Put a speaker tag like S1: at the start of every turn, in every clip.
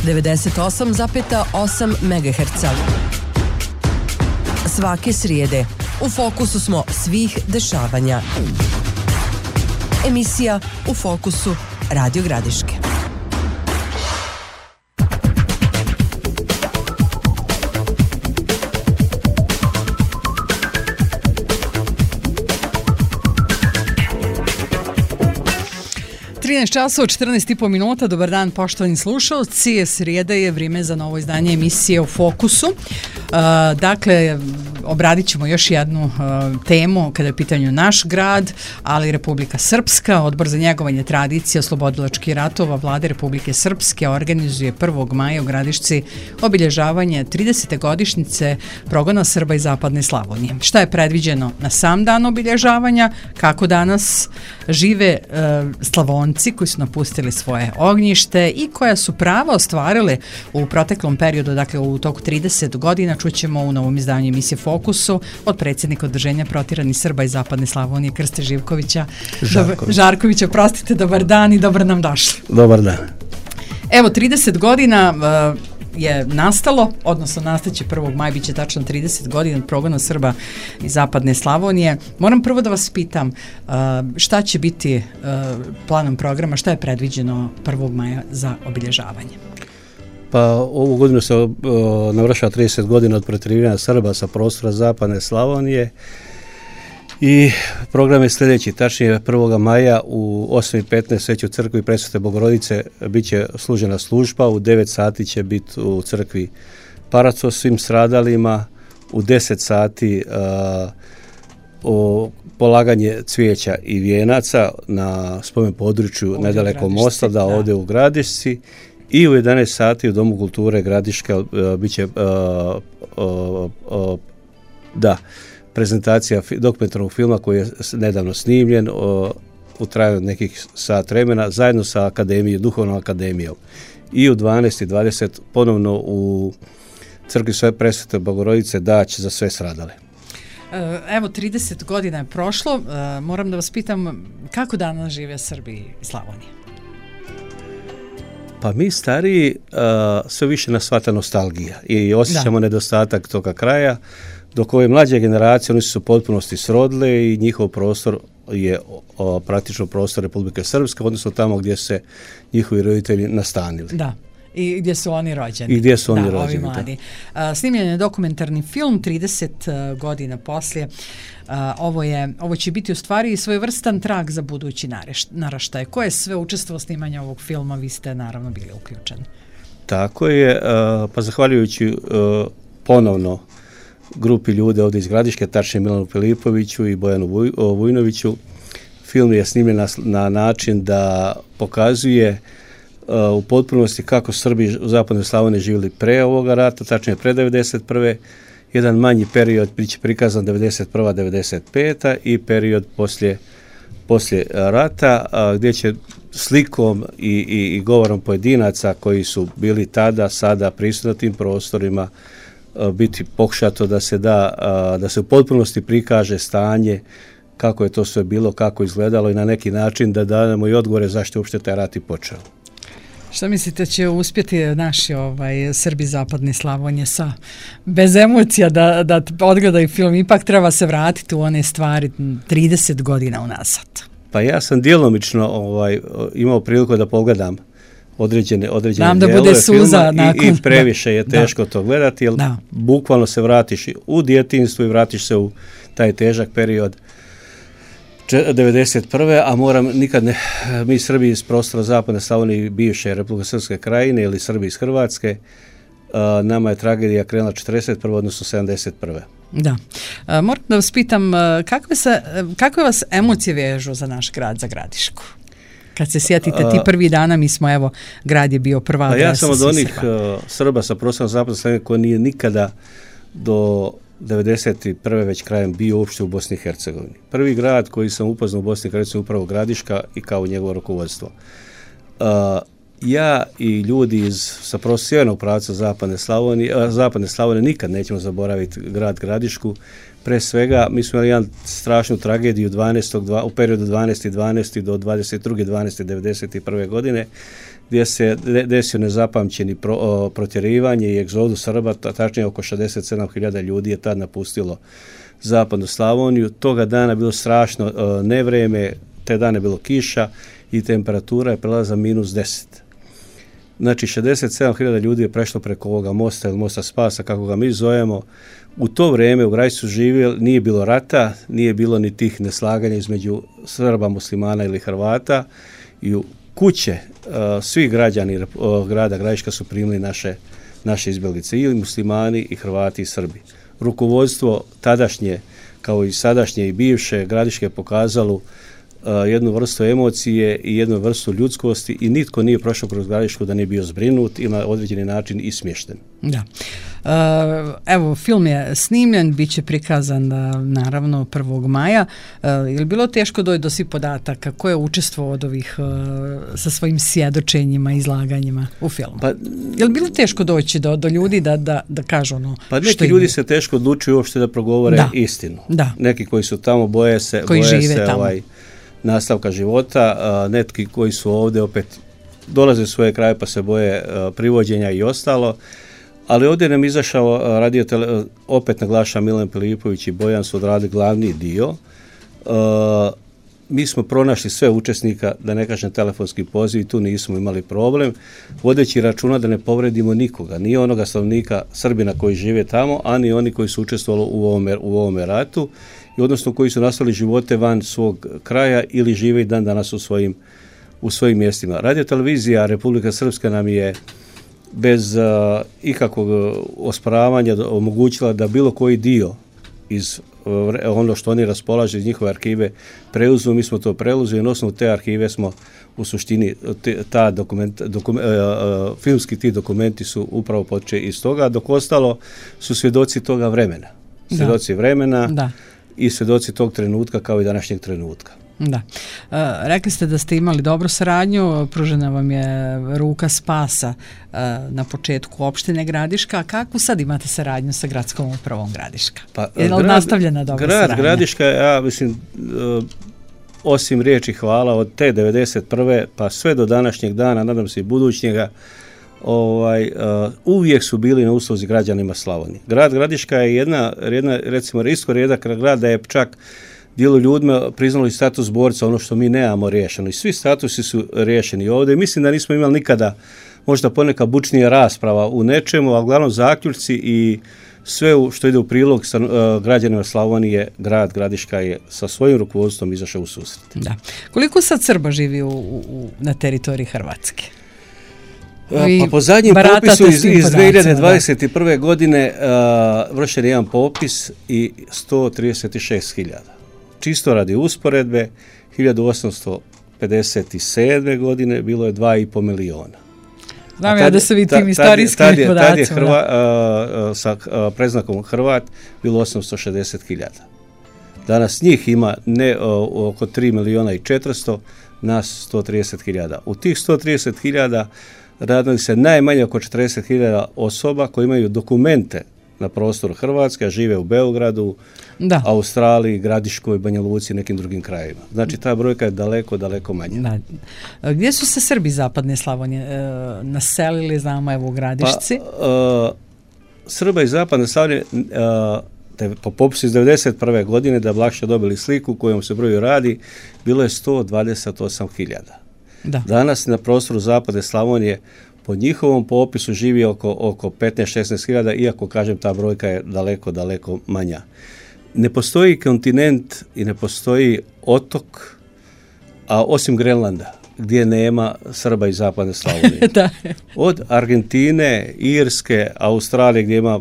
S1: 98,8 MHz. Svake srijede u fokusu smo svih dešavanja. Emisija U fokusu Radio Gradiške.
S2: Časova 14,5 minuta. Dobar dan, poštovani slušalci. Srijeda je, vrijeme za novo izdanje emisije U fokusu. Dakle, obradit ćemo još jednu temu kada je u pitanju naš grad, ali Republika Srpska. Odbor za njegovanje tradicije oslobodilačkih ratova Vlade Republike Srpske organizuje 1. maja u Gradišci obilježavanje 30. godišnjice progona Srba iz Zapadne Slavonije. Šta je predviđeno na sam dan obilježavanja, kako danas žive Slavonci koji su napustili svoje ognjište i koja su prava ostvarile u proteklom periodu, dakle u toku 30 godina, čućemo u novom izdanju emisije Fokusu od predsjednika Udruženja protjeranih Srba iz Zapadne Slavonije Krste Žarkovića. Prostite, dobar dan i dobro nam došli.
S3: Dobar dan.
S2: Evo, 30 godina je nastalo, odnosno nastaće 1. maja, bit će tačno 30 godina od progona Srba iz Zapadne Slavonije. Moram prvo da vas pitam šta će biti planom programa, šta je predviđeno 1. maja za obilježavanje?
S3: Pa ovu godinu se navršava 30 godina od protjerivanja Srba sa prostora Zapadne Slavonije i program je sljedeći. Tačnije 1. maja u 8:15 već u crkvi Presvete Bogorodice bit će služena služba, u 9 sati će biti u crkvi parac svim stradalima, u 10 sati polaganje cvijeća i vijenaca na spomen području nedaleko mosta, da ovdje u Gradišci. I u 11 sati u Domu kulture Gradiška bit će prezentacija dokumentarnog filma koji je nedavno snimljen u trajanju nekih sat vremena zajedno sa akademijom, Duhovnom akademijom. I u 12:20 ponovno u crkvi Sve Presvete Bogorodice dać za sve stradale.
S2: Evo, 30 godina je prošlo. Moram da vas pitam, kako danas žive Srbi i Slavonije?
S3: Pa mi stariji sve više nas shvata nostalgija i osjećamo nedostatak toga kraja, dok ove mlađe generacije, oni su u potpunosti srodile i njihov prostor je praktično prostor Republike Srpske, odnosno tamo gdje se njihovi roditelji nastanili. Da.
S2: I gdje su oni rođeni.
S3: I gdje su oni rođeni.
S2: Ovi mladi. Snimljen je dokumentarni film 30 godina poslije. Ovo će biti u stvari svojevrstan trag za budući naraštaj. Ko je sve učestvovao snimanja ovog filma? Vi ste naravno bili uključeni.
S3: Tako je, pa zahvaljujući ponovno grupi ljude ovdje iz Gradiške, tačnije Milanu Filipoviću i Bojanu Vujnoviću, film je snimljen na način da pokazuje u potpunosti kako Srbi u Zapadnoj Slavoniji živjeli pre ovoga rata, tačnije pre 1991. Jedan manji period bit će prikazan 1991-1995. i period poslije rata, gdje će slikom i govorom pojedinaca koji su bili tada, sada prisutni na tim prostorima biti pokušato da se u potpunosti prikaže stanje, kako je to sve bilo, kako izgledalo i na neki način da damo i odgovore zašto uopšte taj rat i počeo.
S2: Šta mislite, će uspjeti naši Srbi Zapadne Slavonije bez emocija da odgledaju film? Ipak treba se vratiti u one stvari 30 godina unazad.
S3: Pa ja sam djelomično imao priliku da pogledam određene
S2: Znam da bude suza
S3: i previše je teško to gledati, jer bukvalno se vratiš u djetinjstvo i vratiš se u taj težak period 1991. a mi Srbi iz prostora Zapadne Slavonije, bivše Republike Srpske krajine ili Srbi iz Hrvatske, nama je tragedija krenula 1941. odnosno 1971.
S2: Da. Moram da vas pitam, kakve vas emocije vežu za naš grad, za Gradišku? Kad se sjetite ti prvi dana, grad je bio prva adresa.
S3: Ja sam od onih Srba sa prostora Zapadne Slavonije koji nije nikada do 1991. već krajem bio uopšte u Bosni i Hercegovini. Prvi grad koji sam upoznao u Bosni i Hercegovini upravo Gradiška i kao njegovo rukovodstvo. Ja i ljudi sa sjevernog pravca Zapadne Slavonije nikad nećemo zaboraviti grad Gradišku. Pre svega, mi smo imali jednu strašnu tragediju u periodu 12.12. do 22.12.1991. godine, gdje se desio nezapamćeni protjerivanje i egzodus Srba, tačnije oko 67.000 ljudi je tad napustilo zapadnu Slavoniju. Toga dana je bilo strašno nevreme, te dane je bilo kiša i temperatura je prelazila -10. Znači 67.000 ljudi je prešlo preko ovoga mosta ili mosta Spasa, kako ga mi zovemo. U to vrijeme u Gradišci su živjeli, nije bilo rata, nije bilo ni tih neslaganja između Srba, muslimana ili Hrvata i u kuće svi građani grada Gradiška su primili naše izbjeglice, i muslimani i Hrvati i Srbi. Rukovodstvo tadašnje, kao i sadašnje i bivše, Gradiške je pokazalo jednu vrstu emocije i jednu vrstu ljudskosti i nitko nije prošao kroz Gradišku da nije bio zbrinut ili na određeni način i smješten.
S2: Da. Evo, film je snimljen, bit će prikazan naravno 1. maja. Je li bilo teško doći do svih podataka? Ko je učestvovao od ovih sa svojim svjedočenjima, izlaganjima u filmu? Pa, je li bilo teško doći do ljudi da kažu ono što
S3: pa neki ljudi se teško odlučuju uopšte da progovore istinu.
S2: Da.
S3: Neki koji su tamo boje se nastavka života, neki koji su ovdje opet dolaze u svoje kraje pa se boje privođenja i ostalo. Ali ovdje nam izašao opet naglaša Milan Filipović i Bojan su odradili glavni dio. Mi smo pronašli sve učesnika, da ne kažem telefonski poziv, tu nismo imali problem, vodeći računa da ne povredimo nikoga, ni onoga stanovnika Srbina koji žive tamo, a ni oni koji su učestvovali u ovome ratu, i odnosno koji su nastavili živote van svog kraja ili žive i dan danas u svojim mjestima. Radio-televizija Republika Srpska nam je bez ikakvog osporavanja omogućila da bilo koji dio iz ono što oni raspolažu iz njihove arhive preuzmu, mi smo to preuzeli i na osnovu te arhive smo u suštini filmski ti dokumenti su upravo počeli iz toga, dok ostalo su svjedoci toga vremena. Svjedoci vremena i svjedoci tog trenutka kao i današnjeg trenutka.
S2: Da. Rekli ste da ste imali dobru saradnju, pružena vam je ruka spasa na početku opštine Gradiška. Kakvu sad imate saradnju sa gradskom upravom Gradiška? Je li nastavljena dobra saradnja?
S3: Grad Gradiška, ja mislim, osim riječi hvala od te 91. pa sve do današnjeg dana, nadam se i budućnjega, uvijek su bili na usluzi građanima Slavonije. Grad Gradiška je jedna recimo rijetko rijedak grad da je čak dijelu ljudima priznali status borca, ono što mi nemamo riješeno. I svi statusi su riješeni ovdje. Mislim da nismo imali nikada možda ponekad bučnija rasprava u nečemu, a uglavnom zaključci i sve što ide u prilog sa građanima Slavonije, grad Gradiška je sa svojim rukovodstvom izašao u susret.
S2: Da. Koliko sad Srba živi na teritoriji Hrvatske?
S3: Pa po zadnjem popisu iz 2021. godine vršen je jedan popis i 136.000. Čisto radi usporedbe, 1857. godine bilo je 2,5 miliona.
S2: Znam ja da se vi tim istorijskim podacima.
S3: Tad je sa preznakom Hrvat bilo 860.000. Danas njih ima oko 3.400.000, nas 130.000. U tih 130.000 radili se najmanje oko 40.000 osoba koji imaju dokumente na prostoru Hrvatske, a žive u Beogradu, Australiji, Gradiškoj, Banja Luci i nekim drugim krajevima. Znači ta brojka je daleko, daleko manja.
S2: Da. Gdje su se Srbi zapadne Slavonije naselili, znamo, evo u Gradišci?
S3: Srba iz zapadne Slavonije po popisu iz 1991. godine, da bi lakše dobili sliku kojom se broju radi, bilo je 128.000. Danas na prostoru zapadne Slavonije po njihovom popisu živi oko 15-16.000, iako, kažem, ta brojka je daleko, daleko manja. Ne postoji kontinent i ne postoji otok, a osim Grenlanda, gdje nema Srba iz zapadne Slavonije. Od Argentine, Irske, Australije, gdje ima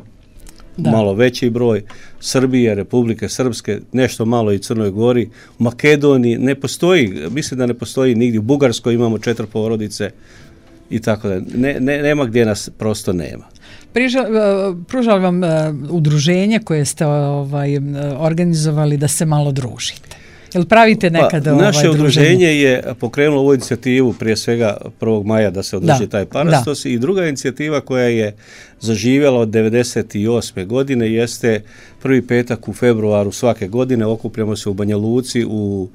S3: malo veći broj, Srbije, Republike Srpske, nešto malo i Crnoj Gori, u Makedoniji ne postoji, mislim da ne postoji nigdje, u Bugarskoj imamo 4 porodice i tako da, nema gdje nas prosto nema.
S2: Pružali vam udruženje koje ste organizovali da se malo družite? Jel pravite nekad
S3: naše udruženje je pokrenulo ovu inicijativu prije svega 1. maja da se održi taj parastos i druga inicijativa koja je zaživjela od 1998. godine jeste prvi petak u februaru svake godine. Okupljamo se u Banja Luci u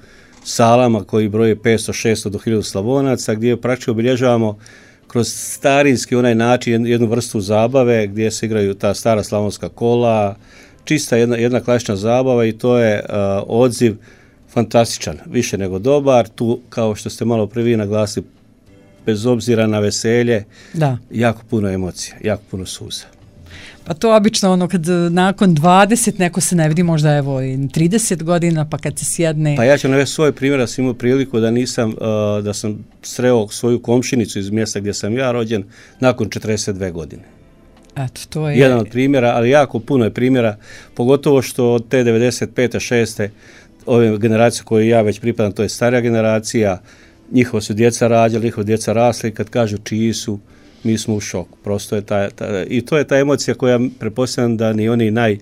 S3: salama koji broje 500, 600 do 1000 Slavonaca gdje praktično obilježavamo kroz starinski onaj način, jednu vrstu zabave gdje se igraju ta stara slavonska kola, čista jedna klasična zabava i to je odziv fantastičan, više nego dobar. Tu, kao što ste malo prvi naglasili, bez obzira na veselje, jako puno emocija, jako puno suza.
S2: Pa to obično ono kad nakon 20 neko se ne vidi, možda evo i 30 godina, pa kad se sjedne...
S3: Pa ja ću navesti svoj primjer, da sam imao priliku da sam sreo svoju komšinicu iz mjesta gdje sam ja rođen nakon 42 godine.
S2: Eto, to je...
S3: Jedan od primjera, ali jako puno je primjera, pogotovo što od te 95. 6. ove generacije koje ja već pripadam, to je starija generacija, njihova su djeca rađali, njihova djeca rasli, kad kažu čiji su, mi smo u šoku. Prosto je i to je ta emocija koja pretpostavljam da ni oni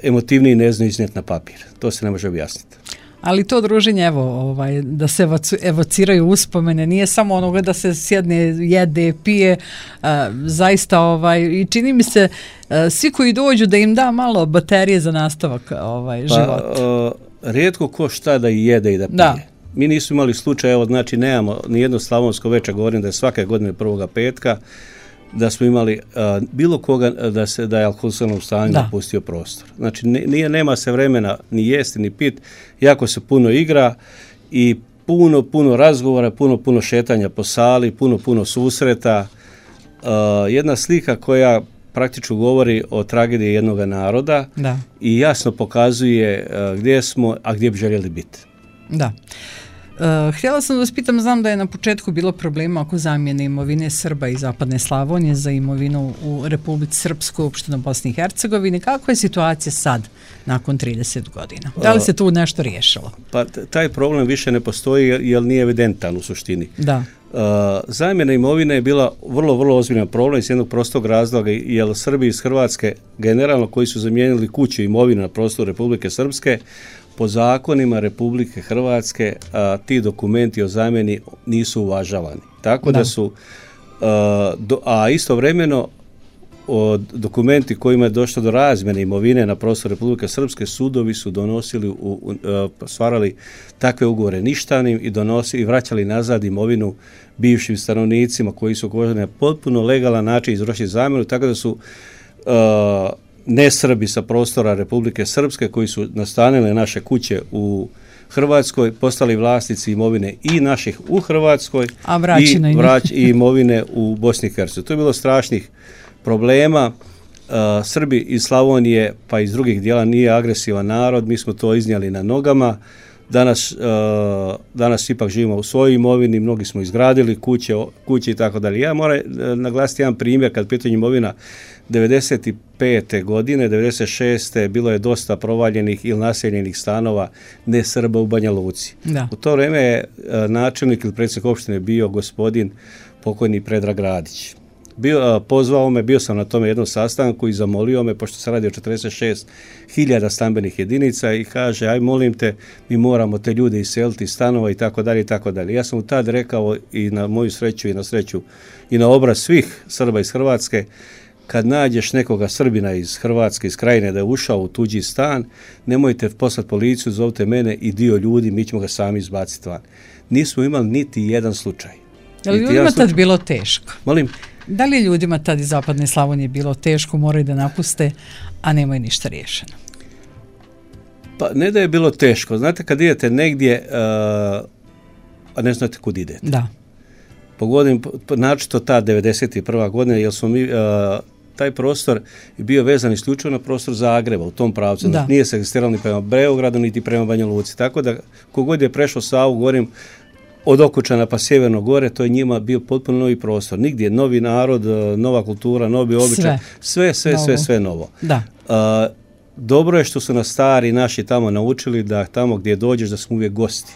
S3: emotivniji ne znaju iznijeti na papir. To se ne može objasniti.
S2: Ali to druženje, evo, da se evociraju uspomene, nije samo onoga da se sjedne, jede, pije, zaista, i čini mi se, svi koji dođu da im da malo baterije za nastavak života.
S3: Rijetko ko šta da jede i da pije. Da. Mi nismo imali slučaj, evo, znači nemamo ni jedno slavonsko veče, govorim da je svake godine 1. petka, da smo imali bilo koga da je alkoholiziranom stanju napustio prostor. Znači nema se vremena ni jesti ni pit, jako se puno igra i puno razgovora, puno šetanja po sali, puno susreta. Jedna slika koja praktično govori o tragediji jednog naroda i jasno pokazuje gdje smo, a gdje bi željeli biti. Da.
S2: Htjela sam da vas pitam, znam da je na početku bilo problema oko zamjene imovine Srba iz Zapadne Slavonije za imovinu u Republici Srpskoj, opštini Bosni i Hercegovini. Kakva je situacija sad, nakon 30 godina? Da li se tu nešto riješilo?
S3: Pa taj problem više ne postoji jer nije evidentan u suštini.
S2: Da.
S3: Zamjena imovine je bila vrlo ozbiljan problem iz jednog prostog razloga, jer Srbi iz Hrvatske generalno koji su zamijenili kuću i imovinu na prostoru Republike Srpske, po zakonima Republike Hrvatske ti dokumenti o zamjeni nisu uvažavani. Tako da su, a istovremeno dokumenti kojima je došlo do razmjene imovine na prostoru Republike Srpske, sudovi su donosili, stvarali takve ugovore ništavnim i vraćali nazad imovinu bivšim stanovnicima koji su na potpuno legalan način izvršili zamjenu, tako da su nesrbi sa prostora Republike Srpske koji su nastanili naše kuće u Hrvatskoj postali vlasnici imovine i naših u Hrvatskoj i imovine u Bosni i Hercegovini. To je bilo strašnih problema. Srbi iz Slavonije pa iz drugih dijela nije agresivan narod, mi smo to iznijeli na nogama. Danas ipak živimo u svojoj imovini, mnogi smo izgradili kuće i tako dalje. Ja moram naglasiti jedan primjer kad pitanje imovina. 95. godine, 96. bilo je dosta provaljenih ili naseljenih stanova ne Srba u Banja Luci. U to vrijeme je načelnik ili predsjednik opštine bio gospodin pokojni Predrag Radić. Pozvao me, bio sam na tome jednom sastanku i zamolio me, pošto se radi o 46.000 stambenih jedinica i kaže, aj molim te, mi moramo te ljude iseliti iz stanova i tako dalje i tako dalje. Ja sam mu tad rekao i na moju sreću i na sreću i na obraz svih Srba iz Hrvatske, kad nađeš nekoga Srbina iz Hrvatske, iz Krajine da je ušao u tuđi stan, nemojte poslati policiju, zovite mene i dio ljudi, mi ćemo ga sami izbaciti van. Nismo imali niti jedan slučaj.
S2: Je li ljudima tad bilo teško?
S3: Molim?
S2: Da li je ljudima tad iz Zapadne Slavonije bilo teško, moraju da napuste, a nemaju ništa riješeno?
S3: Pa ne da je bilo teško. Znate, kad idete negdje, a ne znate kud idete.
S2: Da.
S3: Pogodim, načito ta 91. godina, jer smo mi, taj prostor je bio vezan isključivo na prostor Zagreba, u tom pravcu. Znači, nije se egzistiralo ni prema Beogradu, niti prema Banja Luci. Tako da, kogod je prešao Savu, govorim, od Okučana pa sjeverno gore, to je njima bio potpuno novi prostor. Nigdje novi narod, nova kultura, novi običaj, sve novo.
S2: Da.
S3: Dobro je što su nas stari naši tamo naučili da tamo gdje dođeš da smo uvijek gosti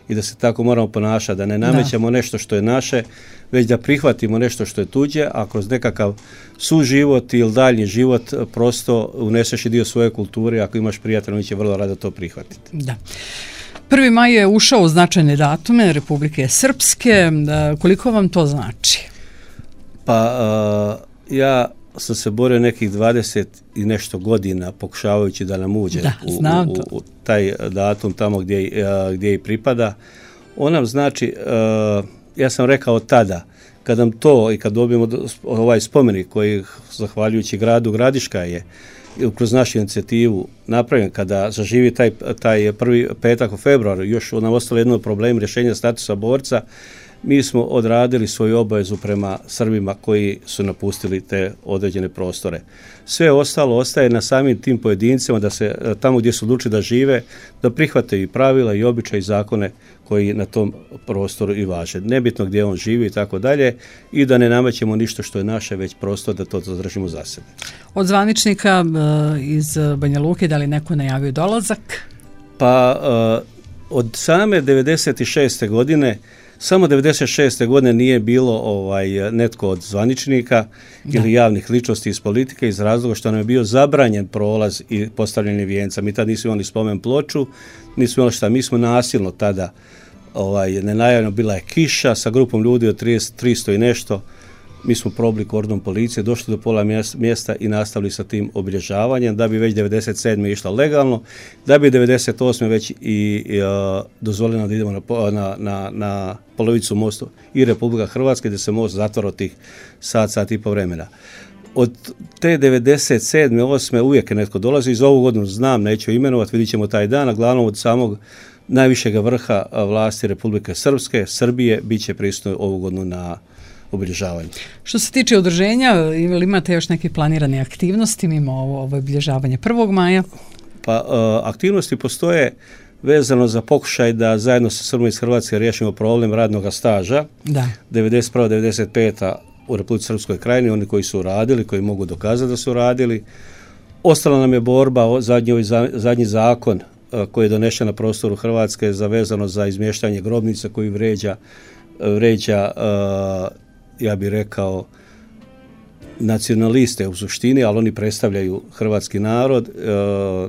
S3: i da se tako moramo ponašati, da ne namećemo nešto što je naše, već da prihvatimo nešto što je tuđe, a kroz nekakav suživot ili daljnji život prosto uneseš i dio svoje kulture, ako imaš prijatelja, oni će vrlo rado to prihvatiti.
S2: Da. 1. maj je ušao u značajne datume Republike Srpske. Koliko vam to znači?
S3: Pa ja sam se borio nekih 20 i nešto godina pokušavajući da nam uđe u taj datum tamo gdje i pripada. On nam znači ja sam rekao tada, kad nam to i kad dobijemo ovaj spomenik koji, zahvaljujući gradu Gradiška je kroz našu inicijativu napravljen, kada zaživi taj prvi petak u februaru, još nam ostalo jedno problem rješenja statusa borca, mi smo odradili svoju obavezu prema Srbima koji su napustili te određene prostore. Sve ostalo ostaje na samim tim pojedincima da se tamo gdje su odlučili da žive, da prihvate i pravila i običaje i zakone koji na tom prostoru i važe. Nebitno gdje on živi i tako dalje, i da ne namećemo ništa što je naše, već prostor da to zadržimo za sebe.
S2: Od zvaničnika iz Banja Luke, da li neko najavio dolazak?
S3: Pa od same 96. godine, samo 96. godine nije bilo netko od zvaničnika ili javnih ličnosti iz politike, iz razloga što nam je bio zabranjen prolaz i postavljanje vijenca. Mi tad nismo imali spomen ploču, nismo imali šta, mi smo nasilno tada, nenajavljeno, bila je kiša sa grupom ljudi od 300 i nešto, mi smo probili kordon policije, došli do pola mjesta i nastavili sa tim obilježavanjem, da bi već 97. išla legalno, da bi 98. već i dozvoljeno da idemo na polovicu mosta i Republika Hrvatska, gdje se most zatvara tih sat i po vremena. Od te 97. 8. uvijek je netko dolazi, iz ovu godinu znam, neću imenovati, vidit ćemo taj dan, a glavnom od samog najvišeg vrha vlasti Republike Srpske, Srbije, bit će prisutno ovu godinu na obilježavanje.
S2: Što se tiče održenja, ili imate još neke planirane aktivnosti mimo ovo obilježavanje 1. maja?
S3: Pa aktivnosti postoje vezano za pokušaj da zajedno sa Srbima iz Hrvatske riješimo problem radnog staža. Da. 91. 95. u Republici Srpskoj krajini, oni koji su radili, koji mogu dokazati da su radili. Ostala nam je borba, zadnji zakon koji je donešen na prostoru Hrvatske vezano za izmještanje grobnica koji vređa ja bih rekao nacionaliste u suštini, ali oni predstavljaju hrvatski narod.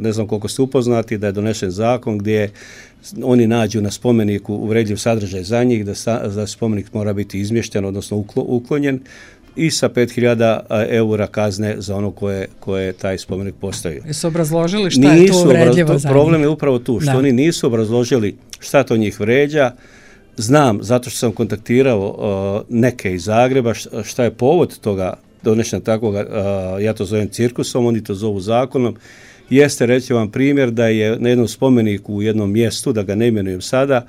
S3: Ne znam koliko ste upoznati da je donesen zakon gdje oni nađu na spomeniku uvredljiv sadržaj za njih, da spomenik mora biti izmješten, odnosno uklonjen, i sa 5.000 eura kazne za ono koje taj spomenik postavio.
S2: Jesu obrazložili šta je to uvredljivo za njih?
S3: Problem je upravo tu, što oni nisu obrazložili šta to njih vređa. Znam, zato što sam kontaktirao neke iz Zagreba, šta je povod toga donešena takvoga, ja to zovem cirkusom, oni to zovu zakonom. Jeste, reći vam primjer, da je na jednom spomeniku u jednom mjestu, da ga ne imenujem sada,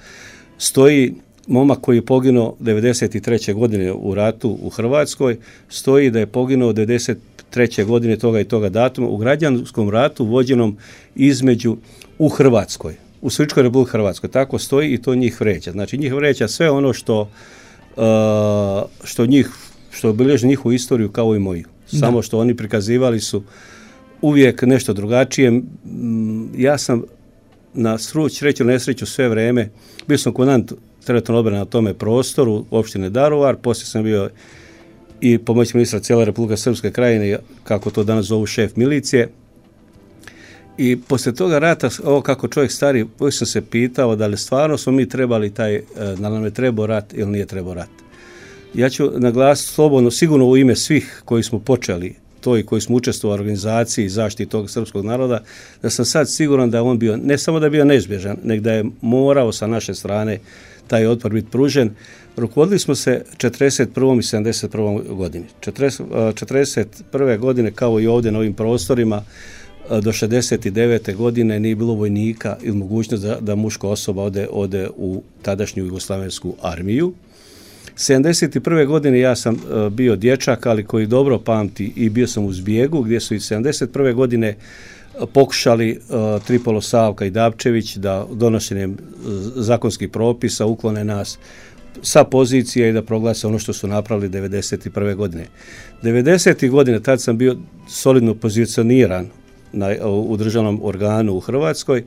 S3: stoji momak koji je poginuo 93. godine u ratu u Hrvatskoj, stoji da je poginuo 93. godine toga i toga datuma u građanskom ratu vođenom između u Hrvatskoj, u Srpskoj Republici Hrvatskoj. Tako stoji i to njih vređa. Znači njih vređa sve ono što obilježi njihovu istoriju kao i moju. Samo što oni prikazivali su uvijek nešto drugačije. Ja sam na sreću nesreću sve vrijeme, bio sam komandant teritorijalne obrane na tome prostoru opštine Daruvar, poslije sam bio i pomoćnik ministra cijele Republike Srpske krajine, kako to danas zovu, šef milicije. I poslije toga rata, ovo kako čovjek stari, uvijek sam se pitao da li stvarno smo mi trebali da nam je trebao rat ili nije trebao rat. Ja ću naglasiti slobodno, sigurno u ime svih koji smo počeli to i koji smo učestvovali u organizaciji i zaštiti tog srpskog naroda, da sam sad siguran da on bio, ne samo da je bio neizbježan, nego da je morao sa naše strane taj otpor biti pružen. Rukovodili smo se 41. i 71. godini. 41. godine, kao i ovdje na ovim prostorima, do 69. godine nije bilo vojnika ili mogućnost da muška osoba ode u tadašnju jugoslavensku armiju. 71. godine ja sam bio dječak, ali koji dobro pamti, i bio sam u Zbjegu, gdje su i 71. godine pokušali Tripalo, Savka i Dapčević da donošenjem zakonskih propisa uklone nas sa pozicije i da proglase ono što su napravili 91. godine. 90. godine, tad sam bio solidno pozicioniran u državnom organu u Hrvatskoj.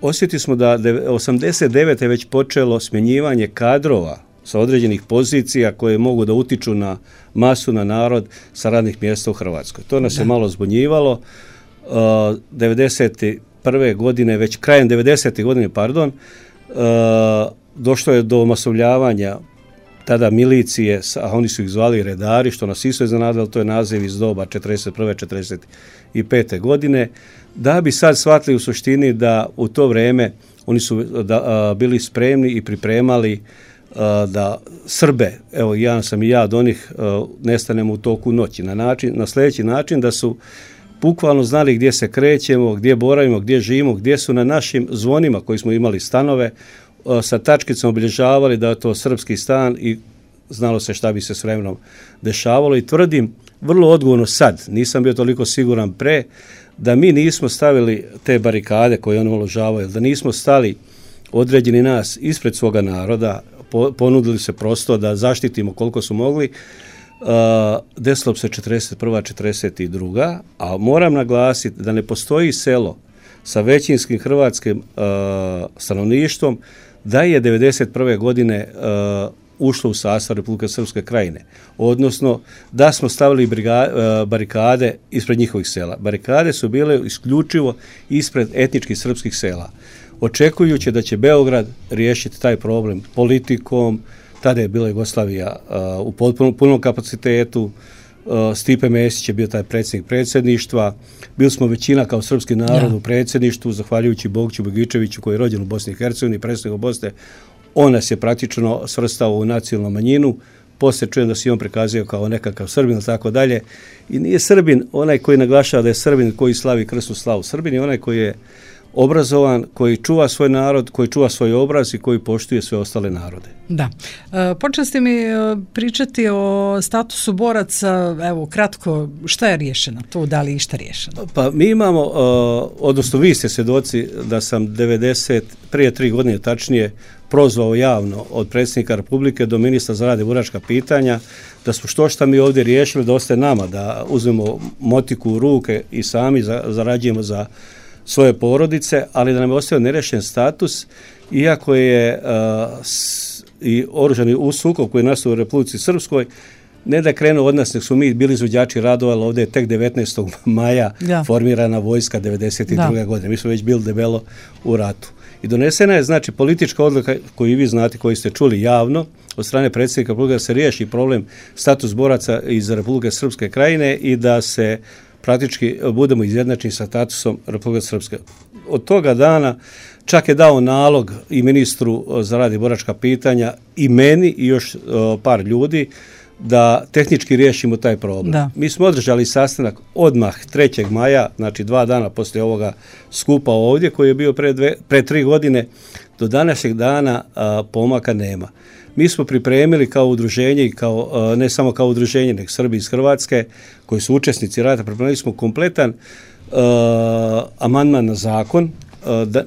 S3: Osjetili smo da 89. je već počelo smjenjivanje kadrova sa određenih pozicija koje mogu da utiču na masu, na narod sa radnih mjesta u Hrvatskoj. To nas je malo zbunjivalo. 91. godine, već krajem 90. godine, došlo je do masovljavanja tada milicije, a oni su ih zvali redari, što nas isto iznenadilo, to je naziv iz doba 41. 45. godine, da bi sad shvatili u suštini da u to vrijeme oni su bili spremni i pripremali da Srbe, evo sam i ja od onih, nestanemo u toku noći, na sljedeći način da su bukvalno znali gdje se krećemo, gdje boravimo, gdje živimo, gdje su na našim zvonima koji smo imali stanove, sa tačkicom obilježavali da je to srpski stan i znalo se šta bi se s vremenom dešavalo i tvrdim vrlo odgovorno sad, nisam bio toliko siguran pre, da mi nismo stavili te barikade koje oni uložavaju, da nismo stali određeni nas ispred svoga naroda, ponudili se prosto da zaštitimo koliko su mogli, desilo se 41. 42. A moram naglasiti da ne postoji selo sa većinskim hrvatskim stanovništvom da je 1991. godine ušlo u sastav Republike Srpske Krajine. Odnosno da smo stavili barikade ispred njihovih sela. Barikade su bile isključivo ispred etničkih srpskih sela. Očekujući da će Beograd riješiti taj problem politikom, tada je bila Jugoslavija u punom kapacitetu, Stipe Mesić je bio taj predsjednik predsjedništva, bili smo većina kao srpski narod u predsjedništvu, zahvaljujući Bogiću Begičeviću koji je rođen u Bosni i Hercegovini, predsjednik Bosne, on nas je praktično svrstao u nacionalnu manjinu, poslije čujem da se on prikazio kao nekakav Srbin i tako dalje. I nije Srbin onaj koji naglašava da je Srbin koji slavi krsnu slavu. Srbin je onaj koji je obrazovan, koji čuva svoj narod, koji čuva svoj obraz i koji poštuje sve ostale narode. Da.
S2: Počeli ste mi pričati o statusu boraca, evo kratko, šta je riješeno tu, da li je išta riješeno?
S3: Pa mi imamo, odnosno vi ste svjedoci da sam prije 3 godine tačnije prozvao javno od predsjednika Republike do ministra za rad i boračka pitanja, da smo što šta mi ovdje riješili, da ostaje nama, da uzmemo motiku u ruke i sami zarađujemo za svoje porodice, ali da nam je ostao nerešen status, iako je i oružani sukob koji je nastao u Republici Srpskoj, ne da je krenuo od nas, nek su mi bili izvođači radova, ali ovdje je tek 19. maja formirana vojska 92. godine. Mi smo već bili debelo u ratu. I donesena je, znači, politička odluka koju vi znate, koju ste čuli javno, od strane predsjednika Republike, da se riješi problem status boraca iz Republike Srpske Krajine i da se praktički budemo izjednačeni sa statusom Republike Srpske. Od toga dana čak je dao nalog i ministru za rad i boračka pitanja i meni i još par ljudi da tehnički riješimo taj problem. Da. Mi smo održali sastanak odmah 3. maja, znači 2 dana poslije ovoga skupa ovdje koji je bio pre 3 godine. Do današnjeg dana pomaka nema. Mi smo pripremili kao udruženje i kao, ne samo kao udruženje, nego Srbi iz Hrvatske koji su učesnici rata, pripremili smo kompletan amandman na zakon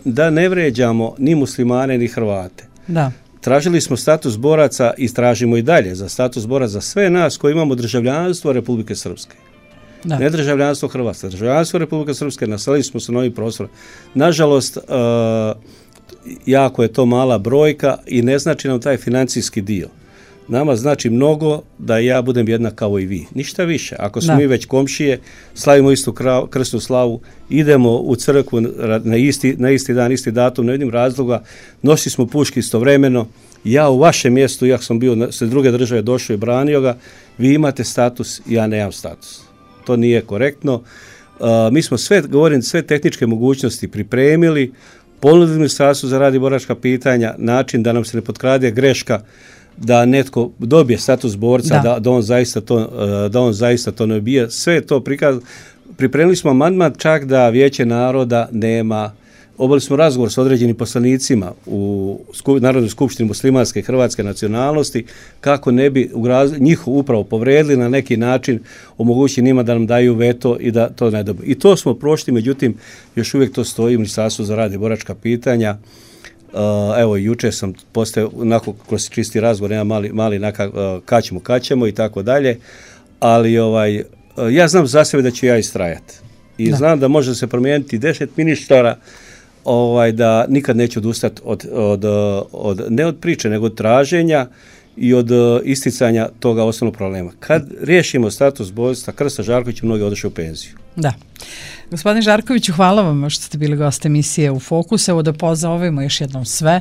S3: da ne vređamo ni muslimane ni Hrvate. Da. Tražili smo status boraca i tražimo i dalje za status boraca za sve nas koji imamo državljanstvo Republike Srpske. Da. Ne državljanstvo Hrvatske, državljanstvo Republike Srpske, naselili smo se novim prostorom. Nažalost, jako je to mala brojka i ne znači nam taj financijski dio. Nama znači mnogo da ja budem jednak kao i vi. Ništa više. Ako smo mi već komšije, slavimo istu krsnu slavu, idemo u crkvu na isti dan, isti datum, ne vidim razloga, nosili smo puške istovremeno. Ja u vašem mjestu, ja sam bio sa druge države došao i branio ga, vi imate status, ja nemam status. To nije korektno. Mi smo sve tehničke mogućnosti pripremili, ponudili Ministarstvu za rad i boračka pitanja, način da nam se ne potkrade greška da netko dobije status borca, da on zaista to ne bije. Sve je to pripremili smo amandman čak da Vijeće naroda nema. Obavili smo razgovor s određenim poslanicima u Narodnoj skupštini muslimanske i hrvatske nacionalnosti kako ne bi njih upravo povredili na neki način, omogućili njima da nam daju veto i da to ne dobiju. I to smo prošli, međutim, još uvijek to stoji u Ministarstvu za rad i boračka pitanja. Evo, juče sam postao, onako kroz čisti razgovor, nema mali kaćemo i tako dalje, ali ja znam za sebe da ću ja istrajati. I znam da može se promijeniti 10 ministara, da nikad neću odustati ne od priče, nego od traženja i od isticanja toga osnovnog problema. Kad riješimo status borca Krsta Žarkovića, mnogi odošli u penziju.
S2: Da. Gospodine Žarkoviću, hvala vam što ste bili gost emisije U Fokusu. Evo da pozovemo još jednom sve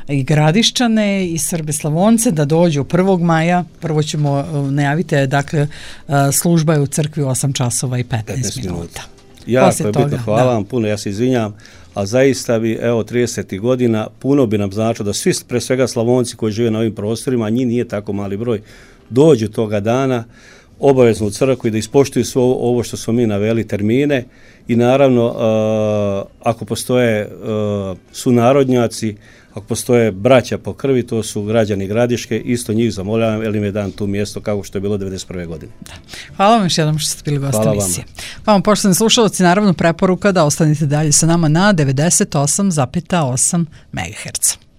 S2: i Gradišćane i Srbe Slavonce da dođu 1. maja. Prvo ćemo najaviti, dakle, služba je u crkvi u 8 časova i 15 minuta.
S3: Jako je bitno, hvala vam puno, ja se izvinjam, a zaista bi, evo, 30 godina, puno bi nam značilo da svi, pre svega Slavonci koji žive na ovim prostorima, a njih nije tako mali broj, dođu toga dana obavezno u crkvu i da ispoštuju sve ovo što smo mi naveli termine i naravno ako postoje sunarodnjaci, ako postoje braća po krvi, to su građani Gradiške, isto njih zamoljavam, jer im je dan tu mjesto kao što je bilo 1991. godine.
S2: Da. Hvala vam još jednom što ste bili gost emisije. Vama, poštovani slušalci, naravno preporuka da ostanete dalje sa nama na 98,8 MHz.